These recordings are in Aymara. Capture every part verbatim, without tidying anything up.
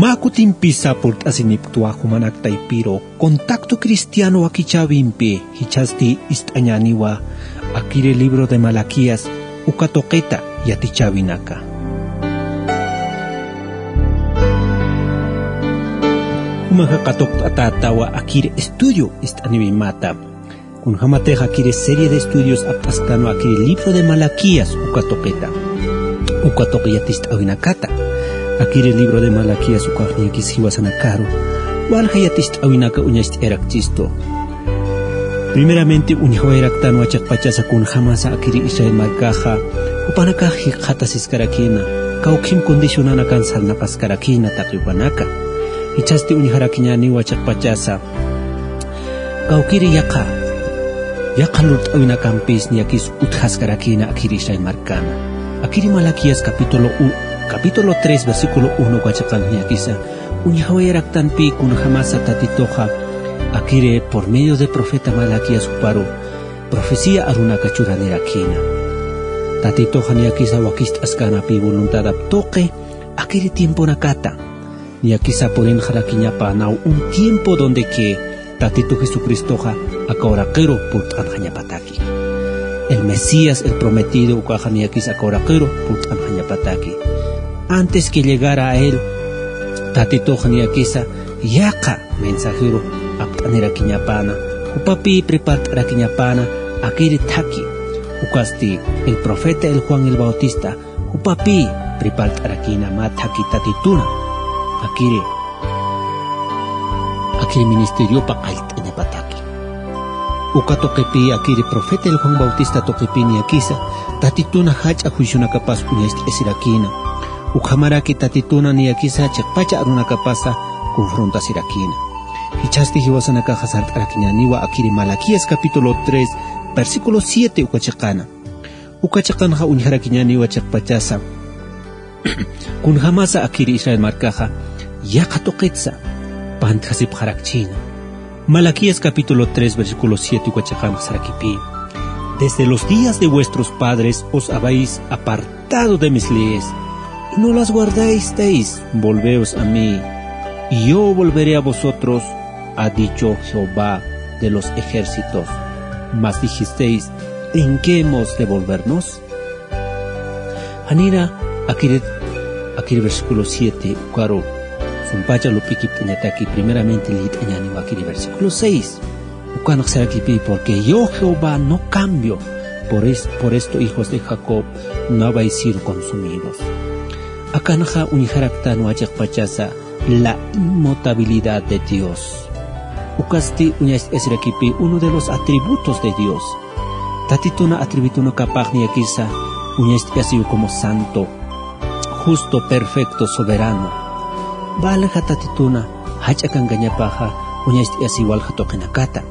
Mä kutimpisa purt'asinipktwa jumanak taypiru Contacto Cristiano wakichäwimpi, jichhasti ist'añäniwa akiri libro de Malaquías uka tuqita yatichäwinaka. Jumaxa katuqt'atätawa akiri estudio ist'aniwimata. Kunjamatix akiri serie de estudios apt'asktanwa akiri libro de Malaquías uka tuqita. Uka tuqi yaticht'äwinakata. Akiri libro de Malaquías ukax niyakis jiwasanakaru walja yaticht'äwinaka uñacht'ayarakchistu. Primeramente, uñjawayaraktanwa chiqpachasa kunjamasa akiri Israel markaxa, jupanakax jikxatasiskarakïna, kawkhim condicionanakan sarnaqaskarakïna taqi jupanaka. Jichhasti uñjarakiñäniwa chiqpachasa, kawkiri yaqha, yaqha lurt'äwinakampis niyakis utjaskarakïna akiri Israel markana. Akiri Malaquías capítulo u-, capítulo tres, versículo uno uka chiqan niyakisa, uñjawayaraktanpï kunjamasa Tatituxa, akiri por medio de profeta Malaquías juparu, profecía arunaka churanirakïna. Tatituxa niyakisa wakicht'askäna pï voluntadap tuqi, akiri tiemponakata. Niyakisa purinxarakiñapänaw un tiempo donde que Tatitu Jesucristoxa aka uraqiru purt'anxañapataki. El Mesías, el prometido, ukaxa niyakisa aka uraqiru purt'anxañapataki. Antes que llegara a él, Tatituxa niyakisa yaqha mensajero apt'anirakiñapäna, jupapï prepart'arakiñapäna akiri thaki. Ukasti el profeta el Juan el Bautista, jupapï prepart'arakïna mä thaki Tatituna akiri, akiri ministeriopa qallt'añapataki. Uka tuqipï akiri profeta el Juan Bautista tuqipï niyakisa Tatituna jach'a juicionakapas uñacht'asirakïna. Ukhamaraki Tatituna niyakisa chiqpacha arunakapasa confrontasirakïna. Jichhasti jiwasanakaxa sart'arakiñäniwa akiri Malaquías capítulo tres, versículo siete uka chiqana. Uka chiqanxa uñjarakiñäniwa chiqpachasa kunjamasa akiri Israel markaxa yaqha tuqitsa pantjasipxarakchïna. Malaquías capítulo tres, versículo siete uka chiqanxa sarakipï: "Desde los días de vuestros padres os habéis apartado de mis leyes y no las guardasteis. Volveos a mí, y yo volveré a vosotros, ha dicho Jehová de los ejércitos. Mas dijisteis: ¿En qué hemos de volvernos?". Janira akiri, akiri versículo siete ukaru sumpacha lup'ikipt'añataki, primeramente liyt'añäniwa akiri versículo seis. Ukanx sarakipï: "Porque yo Jehová no cambio, por es-, por esto, hijos de Jacob, no habéis sido consumidos". Akanxa uñjaraktanwa chiqpachasa la inmutabilidad de Dios. Ukasti uñacht'asirakipï uno de los atributos de Dios. Tatituna atributunakapax niyakisa uñacht'asiw como santo, justo, perfecto, soberano. Walja Tatituna jach'a kankañapaxa uñacht'asiw walja tuqinakata.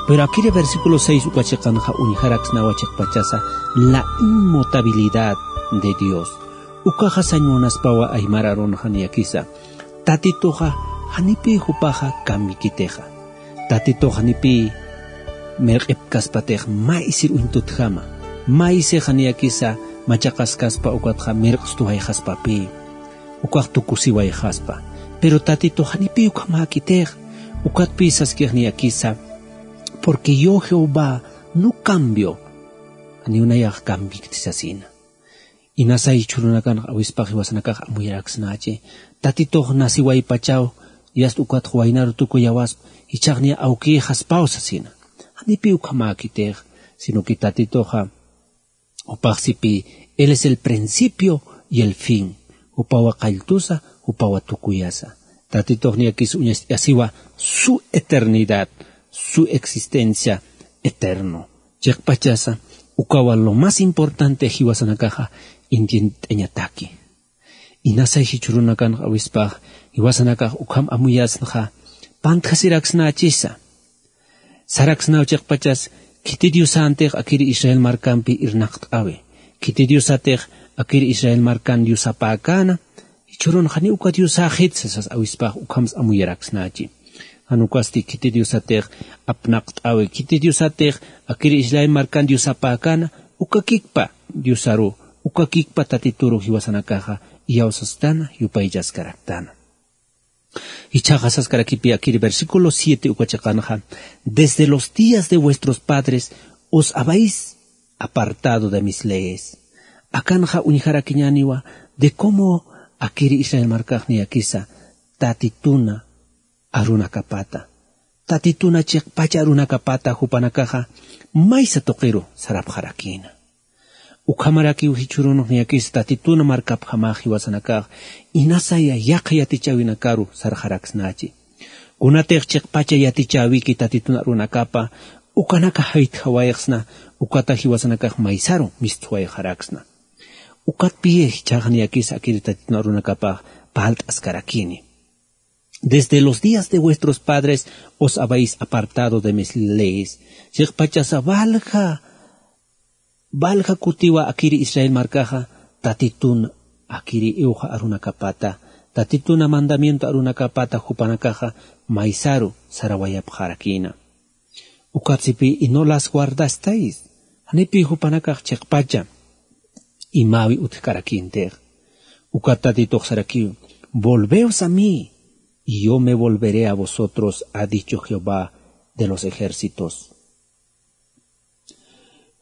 Pero akiri versículo seis uka chiqanxa uñjaraksnawa chiqpachasa la inmutabilidad de Dios. Ukaxa sañ munaspawa aymar arunxa niyakisa Tatituxa janipï jupaxa kamikitixa. Tatitux janipï mirq'ipkaspatix maysir uñtutjama, maysixa niyakisa machaqaskaspa ukatxa mirq'stuwayxaspapï, ukax tukusiwayxaspa. Pero Tatitux janipï ukhamäkitix, ukatpï saskix niyakisa: "Porque yo Jehová no cambio". Janiw nayax kamikti sasina. Inasa jichhürunakanx awispax jiwasanakax amuyaraksnachi. Tatitux nasiwaypachaw, yast ukatx waynaru tukuyawaspa, jichhax niya awkïxaspaw sasina. Janipï ukhamäkitix, sino que Tatituxa jupax sipï, él es el principio y el fin. Jupawa qalltusa, jupawa tukuyasa. Tatitux niyakis uñacht'asiwa su eternidad, su existencia eterno. Chiqpachasa, ukawa lo más importante jiwasanakaxa entiendt'añataki. Inasa jichhürunakanx awispax jiwasanakax ukham amuyasnxa, pantjasiraksnachisa. Saraksnaw chiqpachas, khiti diosantix akiri Israel markampi irnaqt'awi. Khiti diosatix akiri Israel markan diosapäkäna, jichhürun janiw uka diosäxit sasas awispax ukhamsa amuyaraksnachi. Jan ukasti khiti diosatix apnaqt'awi, khiti diosatix akiri Israel markan diosapäkäna, ukakikpa diosaru, ukakikpa Tatituru jiwasanakaxa iyawsasktäna, yupaychaskaraktana. Ichhaxa saskarakipi akiri versículo siete uka chiqanxa: "Desde los días de vuestros padres os habéis apartado de mis leyes". Akanxa uñjarakiñäniwa de cómo akiri Israel markax niyakisa Tatituna arunakapata, Tatituna chiqpacha arunakapata jupanakaxa maysa tuqiru sarapxarakïna. Ukhamarakiw jichhürunx niyakisa Tatituna markapjamax jiwasanakax inasaya yaqha yatichäwinakaru sarxaraksnachi. Kunatix chiqpacha yatichäwiki Tatituna arunakapa, ukanaka jaytjawayxsna, ukata jiwasanakax maysaru mistsuwayxaraksna. Ukatpï jichhax niyakisa akiri Tatituna arunakapax parlt'askarakïni. "Desde los días de vuestros padres os habéis apartado de mis leyes". Chiqpachasa valja, valja kutiwa akiri Israel markaxa Tatitun akiri iwxa arunakapata, Tatituna mandamiento arunakapata jupanakaxa maysaru sarawayapxarakïna. Ukatsipï: "Y no las guardasteis". Janipï jupanakax chiqpacha imäwi utjkarakïntix. Ukat Tatitux sarakiw: "Volveos a mí, y yo me volveré a vosotros, ha dicho Jehová de los ejércitos".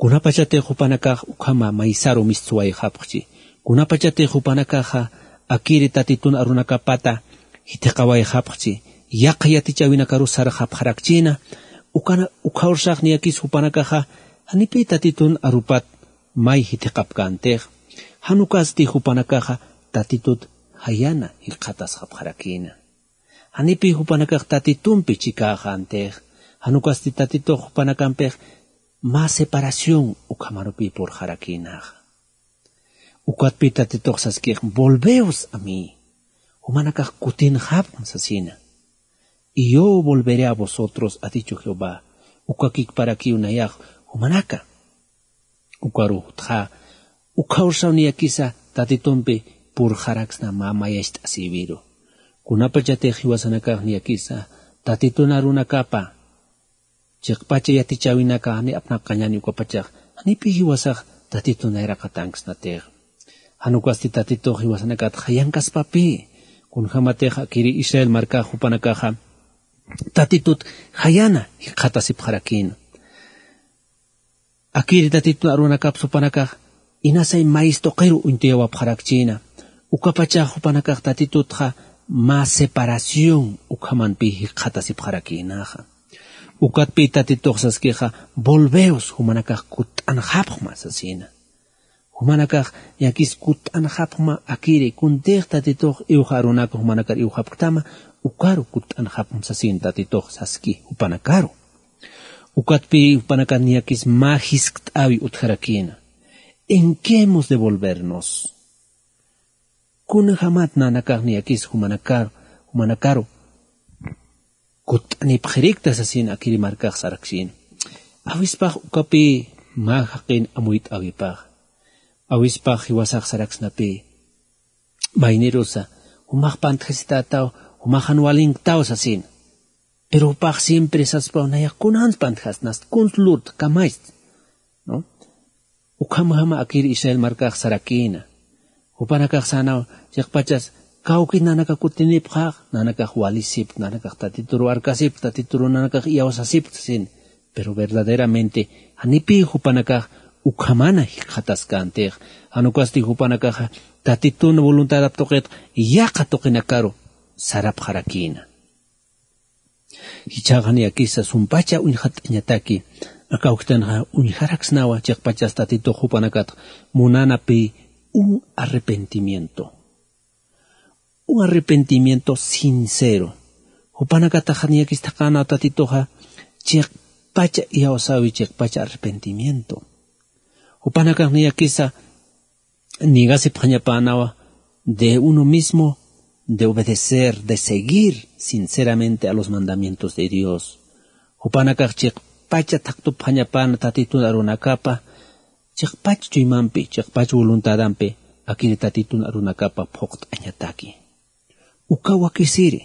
Kunapachatix jupanakax ukhama maysaru mistsuwayxapxchi, kunapachatix jupanakaxa akiri Tatitun arunakapata jithiqawayxapxchi, yaqha yatichäwinakarus sarxapxarakchïna, ukana, ukhawrsax niyakis jupanakaxa janipï Tatitun arupat may jithiqapkäntix, jan ukasti jupanakaxa Tatitut jayana jikxatasxapxarakïna. Janipï jupanakax Tatitumpi chikäxäntix, jan ukasti Tatitux jupanakampix mä separación ukhamarupï purxarakïnaxa. Ukatpï Tatitux saskix: "Volveos a mí". Jumanakax kutinxapxm sasina. "Y yo volveré a vosotros, ha dicho Jehová". Uka kikparakiw nayax jumanaka. Ukaru jutxa, ukhawrsaw niyakisa Tatitumpi purxaraksna mä mayacht'asïwiru. Kunapachatix jiwasanakax niyakisa Tatitun arunakapa chiqpacha yatichäwinaka jani apnaqañäni ukapachax, janipï jiwasax Tatitun nayraqatanksnatix. Jan ukasti Tatitux jiwasanakat jayankaspapï, kunjamatix akiri Israel markax jupanakaxa Tatitut jayana jikxatasipxarakïna. Akiri Tatitun arunakaps jupanakax inasay mayis tuqiru uñtuyawapxarakchïna. Ukapachax jupanakax Tatitutxa mä separación ukhamanpï jikxatasipxarakïnaxa. Ukatpï Tatitux saskixa: "Volveos", jumanakax kutt'anxapxma sasina. Jumanakax niyakis kutt'anxapxma akiri, kuntix Tatitux iwxa arunaka jumanakar iwxapktama, ukaru kutt'anxapxma sasin Tatitux saski jupanakaru. Ukatpï jupanakar niyakis mä jiskt'äwi utjarakïna: "¿En qué hemos de volvernos?" Kunjamat nanakax niyakis jumanakar, jumanakaru kutt'anipxirikta sasin akiri markax saraksïna. Awispax ukapï mä jaqin amuyt'äwipax. Awispax jiwasax saraksnapï: "Maynirusa, jumax pantjasitätaw, jumax jan walinktaw", sasin. Pero jupax siempre saspaw: "Nayax kunans pantjasnast, kuns lurta, kamachta", ¿no? Ukhamjama akir Israel markax sarakïna. Jupanakax sänaw chiqpachas: "Kawkit nanakax kutinipxax, nanakax walisipkt, nanakax Tatituru arkasipkt, Tatituru nanakax iyawsasipkt", sasin. Pero verdaderamente janipï jupanakax ukhamana jikxataskäntixa. Jan ukasti jupanakaxa Tatitun voluntadap tuqit yaqha tuqinakaru sarapxarakïna. Jichhaxa niyakisa sumpacha uñxatt'añataki, aka awkitanxa uñjaraksnawa chiqpachas Tatitux jupanakat munanapï un arrepentimiento. Un arrepentimiento sincero. Jupanakataxa niyakis thaqänaw Tatituxa chiqpacha iyawsäwi, chiqpacha arrepentimiento. Jupanakax niyakisa nigasipxañapänawa de uno mismo, de obedecer, de seguir sinceramente a los mandamientos de Dios. Jupanakax chiqpacha thaqtupxañapäna Tatitun arunakapa, chiqpach chuymampi, chiqpach voluntadampi, akiri Tatitun arunakapa phuqt'añataki. Uka wakisiri,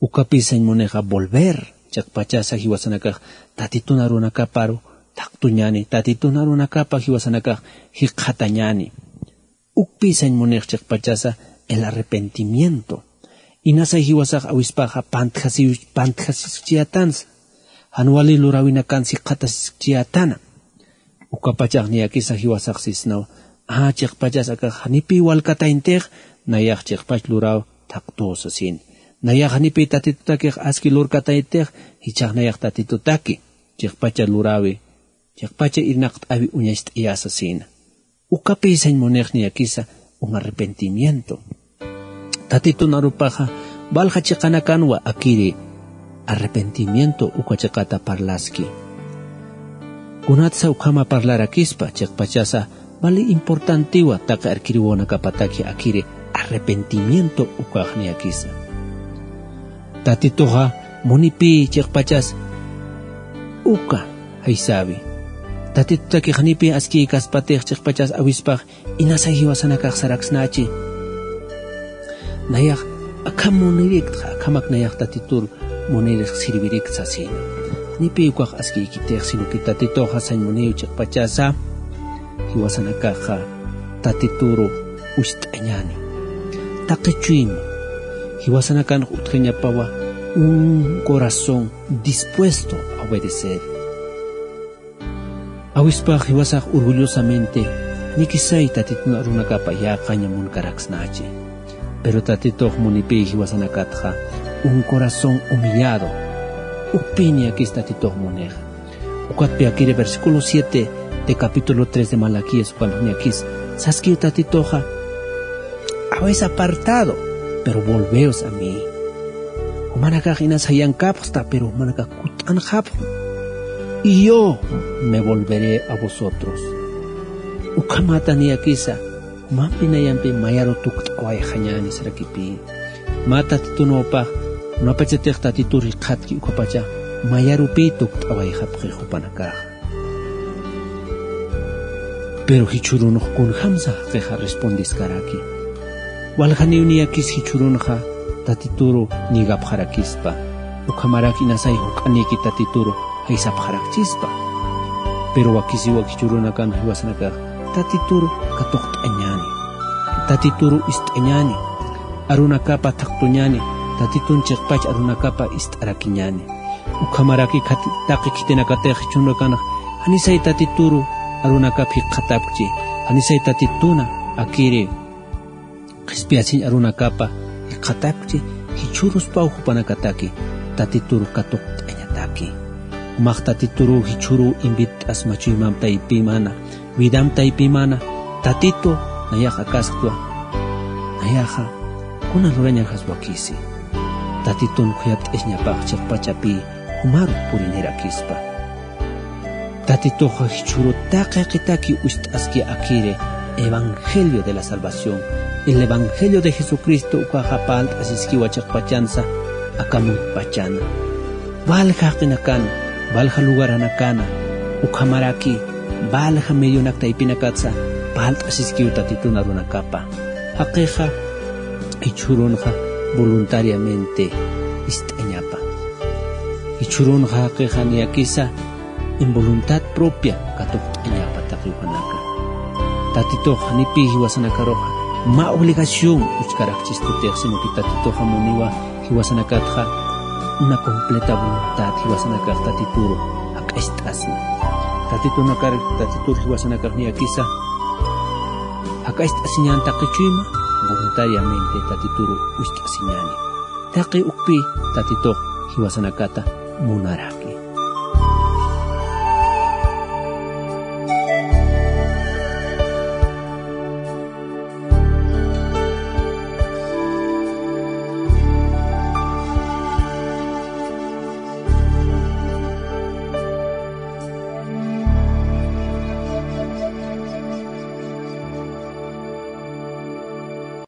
ukapï sañ munixa volver, chiqpachasa jiwasanakax Tatitun arunakaparu thaqtuñäni, Tatitun arunakapa jiwasanakax jikxatañäni. Ukpï sañ munix chiqpachasa el arrepentimiento. Inasay jiwasax awispaxa pantjasiw-, pantjasiskchiyätansa. Jan wali luräwinakan jikxatasiskchiyätana. Ukapachax niyakisa jiwasax sisnaw. A, chiqpachas akax janipï walkatayntix, nayax chiqpach luräw thaqtüw sasin. Nayax janipï Tatitutakix aski lurkatayntix, jichhax nayax Tatitutaki chiqpacha luräwi, chiqpacha irnaqt'äwi uñacht'ayä sasina. Ukapï sañ munix niyakisa un arrepentimiento. Tatitun arupaxa, walja chiqanakanwa akiri arrepentimiento uka chiqata parlaski. Kunatsa ukhama parlarakispa, chiqpachasa vali importantiwa taqi arkiriwinakapataki akiri arrepentimiento ukax niyakisa. Tatituxa munipï chiqpachas uka jaysäwi. Tatitutakix janipï askïkaspatix chiqpachas awispax inasay jiwasanakax saraksnachi. Nayax akham muniriktxa, akhamak nayax Tatitur munirix sirvirikt sasina. Janipï ukax askïkitix, sino que Tatituxa sañ muniw chiqpachasa jiwasanakaxa Tatituru wist'añäni. Taqi chuyma, jiwasanakanx utjañapawa un corazón dispuesto a obedecer. Awispax jiwasax orgullosamente, nikisay Tatitun arunakapa yäqaña munkaraksnachi. Pero Tatitux munipï jiwasanakatxa un corazón humillado. Ukpï niyakis Tatitux munixa. Ukatpï akiri versículo siete de capítulo tres de Malaquías ukan niyakis saskiw Tatituxa: Habéis apartado, pero volveos a mí. Jumanakax inas jayankapxta, pero jumanakax kutt'anxapxi. Y yo me volveré a vosotros. Ukhamata niyakisa, jumampi nayampi mayaru tukt'awayxañäni sarakipï. Mä Tatitunwpax, kunapachatix Tatitur jikxatki ukhapacha, mayarupï tukt'awayxapxi jupanakax. Pero jichhürunx kunjamsa jaqixa respondiskaraki. Waljaniw niyakis jichhürunxa Tatituru ñigapxarakispa. Ukhamarak inasay juk'anïki Tatituru jaysapxarakchispa. Pero wakisiwa jichhürunakan jiwasanakax Tatituru katuqt'añäni. Tatituru ist'añäni. Arunakapa thaqtuñäni. Tatitun chiqpach arunakapa ist'arakiñäni. Ukhamaraki khati-, taqi khitinakatix jichhürunakanx, janisay Tatituru arunakap jikxatapkchi, janisay Tatituna akiri qhispiyasiñ arunakapa jikxatapkchi, jichhüruspaw jupanakataki Tatituru katuqt'añataki. Jumax Tatituru jichhüru invit'asma chuymam taypimana, vidam taypimana, Tatitu nayax akasktwa, nayaxa kuna lurañaxas wakisi. Tatitun khuyapt'asiñapax chiqpachapï jumaru purinirakispa. Tatituxa jichhüru taqi jaqitaki wist'aski akiri evangelio de la salvación, el evangelio de Jesucristo ukaxa parlt'asiskiwa chiqpachansa aka muntpachana. Walja jaqinakana, walja lugaranakana, ukhamaraki walja medionak taypinakatsa parlt'asiskiw Tatitun arunakapa. Jaqixa jichhürunxa voluntariamente ist'añapa. Jichhürunxa jaqixa niyakisa en voluntad propia katuqt'añapa taqi jupanaka. Tatitux janipï jiwasanakaruxa mä obligación uchkarakchistutix, sino que Tatituxa muniwa jiwasanakatxa una completa voluntad jiwasanakax Tatituru jak'acht'asna. Tatitunakar, Tatitur jiwasanakax niyakisa jak'acht'asiñän taqi chuyma, voluntariamente Tatituru wist'asiñäni. Taqi ukpï Tatitux jiwasanakata munaraki.